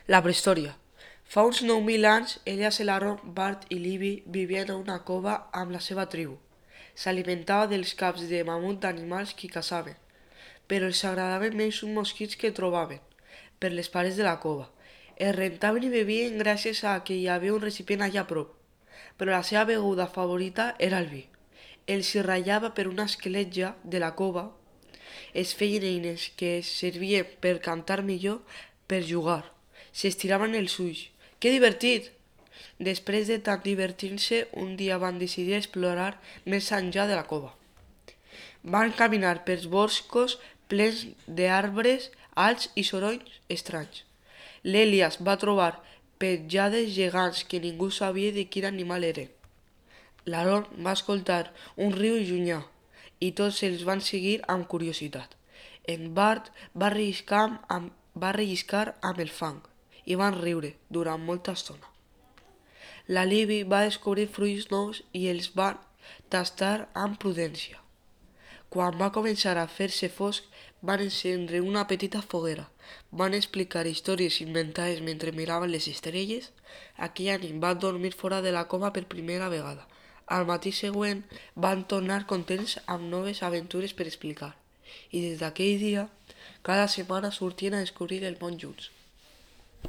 La prehistòria. Fa uns 9.000 anys, Elias el Aaron, Bart i Livy vivien a una cova amb la seva tribu. S'alimentava dels caps de mamut d'animals que caçaven, però els agradaven més uns mosquits que trobaven per les parets de la cova. Es rentaven i bevien gràcies a que hi havia un recipient allà a prop, però la seva beguda favorita era el vi. Els hi ratllava per una escletja de la cova, es feien eines que es servien per cantar millor, per jugar. S'estiraven els ulls. Que divertit! Després de tant divertir-se, un dia van decidir explorar més enllà de la cova. Van caminar pels boscos plens d'arbres alts i sorolls estranys. L'Elias va trobar petjades gegants que ningú sabia de quin animal eren. L'Aaron va escoltar un riu llunyà i tots els van seguir amb curiositat. En Bart va relliscar amb el fang i van riure durant molta estona. La Libby va descobrir fruits nous i els van tastar amb prudència. Quan va començar a fer-se fosc, van encendre una petita foguera. Van explicar històries inventades mentre miraven les estrelles. Aquella nit van dormir fora de la cova per primera vegada. Al matí següent van tornar contents amb noves aventures per explicar. I des d'aquell dia, cada setmana sortien a descobrir el món junts.